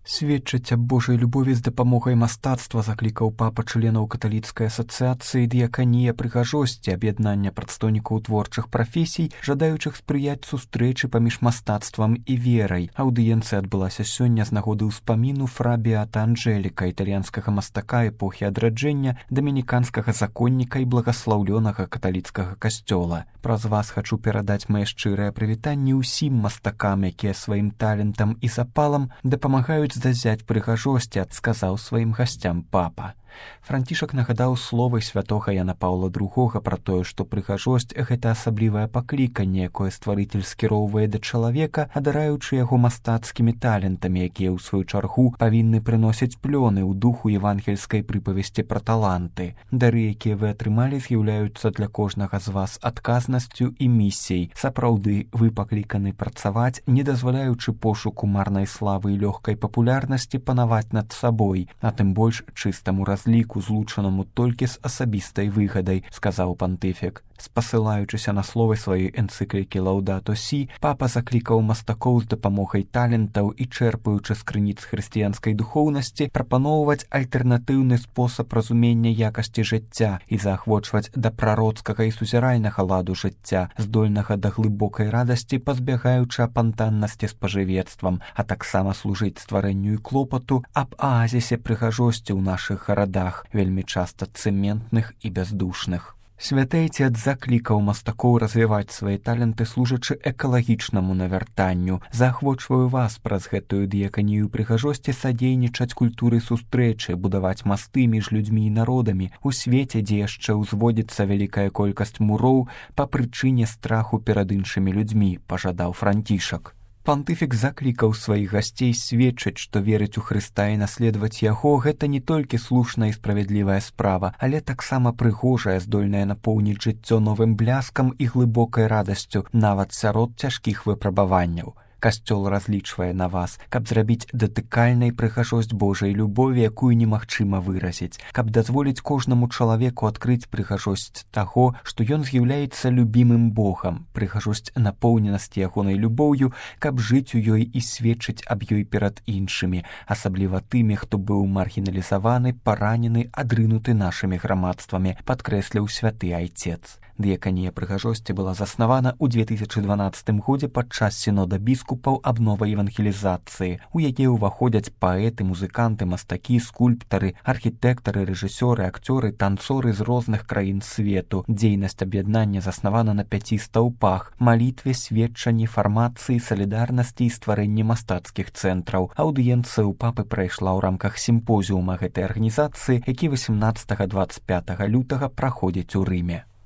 Сведчыць аб Божай любові з дапамогай мастацтва заклікаў папа членаў каталіцкай асацыяцыі дыяканія прыгажосці аб'яднання прадстаўнікаў творчых прафесій, жадаючых спрыяць сустрэчы паміж мастацтвам і верай. Аўдыенцыя адбылася сёння з нагоды ўспаміну фра Беата Анджэліка, італьянскага мастака эпохі адраджэння, дамініканскага законніка і благаслаўлёнага каталіцкага касцёла. Праз вас хачу перадаць мае шчырыя прывітанні ўсім мастакам, якія сваім талентам і запалам дапамагаюць здазяць прыгажосці, сказаў сваім гасцям папа. Францішак нагадаў словы святога Яна Паўла II пра тое, што прыгажосць — гэта асаблівае пакліканне, якое стварыцель скіроўвае да чалавека, адараючы яго мастацкімі талентамі, якія ў сваю чаргу павінны прыносіць плёны ў духу евангельскай прыпавесці пра таланты. Дары, якія вы атрымалі, з'яўляюцца для кожнага з вас адказнасцю і місіяй. Сапраўды, вы пакліканы працаваць, не дазваляючы пошуку марнай славы і лёгкай папулярнасці панаваць над сабой, а тым больш чыстаму разліку, злучанаму толькі з асабістай выгадай, сказаў пантыфік. Спасылаючыся на словы сваёй энцыклікі «Лаўдато Сі», папа заклікаў мастакоў з дапамогай талентаў і чэрпаючы з крыніц хрысціянскай духоўнасці прапаноўваць альтэрнатыўны спосаб разумення якасці жыцця і заахвочваць да прароцкага і сузіральнага ладу жыцця, здольнага да глыбокай радасці, пазбягаючы апантаннасці спажывецтвам, а таксама служыць стварэнню і клопату аб аазісе прыгажосці ў нашых гарадах, вельмі часта цэментных і бяздушных. Святы Айцец заклікаў мастакоў развіваць свае таленты, служачы экалагічнаму навяртанню. Заахвочваю вас праз гэтую дыяканію прыгажосці садзейнічаць культуры сустрэчы, будаваць масты між людзьмі і народамі у свеце, дзе яшчэ ўзводзіцца вялікая колькасць муроў па прычыне страху перад іншымі людзьмі, пажадаў Францішак. Пантыфік заклікаў сваіх гасцей сведчыць, што верыць у Хрыста і наследаваць яго — гэта не толькі слушная і справядлівая справа, але таксама прыгожая, здольная напоўніць жыццё новым бляскам і глыбокай радасцю, нават сярод цяжкіх выпрабаванняў. Касцёл разлічвае на вас, каб зрабіць датыкальнай прыгажосць Божай любові, якую немагчыма выразіць, каб дазволіць кожнаму чалавеку адкрыць прыгажосць таго, што ён з'яўляецца любімым Богам, прыгажосць напоўненасці ягонай любоўю, каб жыць у ёй і сведчыць аб ёй перад іншымі, асабліва тымі, хто быў маргіналізаваны, паранены, адрынуты нашымі грамадствамі, падкрэсліў святы Айцец. Дыяканія прыгажосці была заснавана ў 2012 годзе падчас сінода біскупаў аб новай евангелізацыі. У яе ўваходзяць паэты, музыканты, мастакі, скульптары, архітэктары, рэжысёры, акцёры, танцоры з розных краін свету. Дзейнасць аб'яднання заснавана на 5 стаўпах: малітве, сведчанні, фармацыі, салідарнасці і стварэнні мастацкіх цэнтраў. Аўдыенцыя ў папы прайшла ў рамках сімпозіума гэтай арганізацыі, які 18-25 лютага праходзіць у Рыме.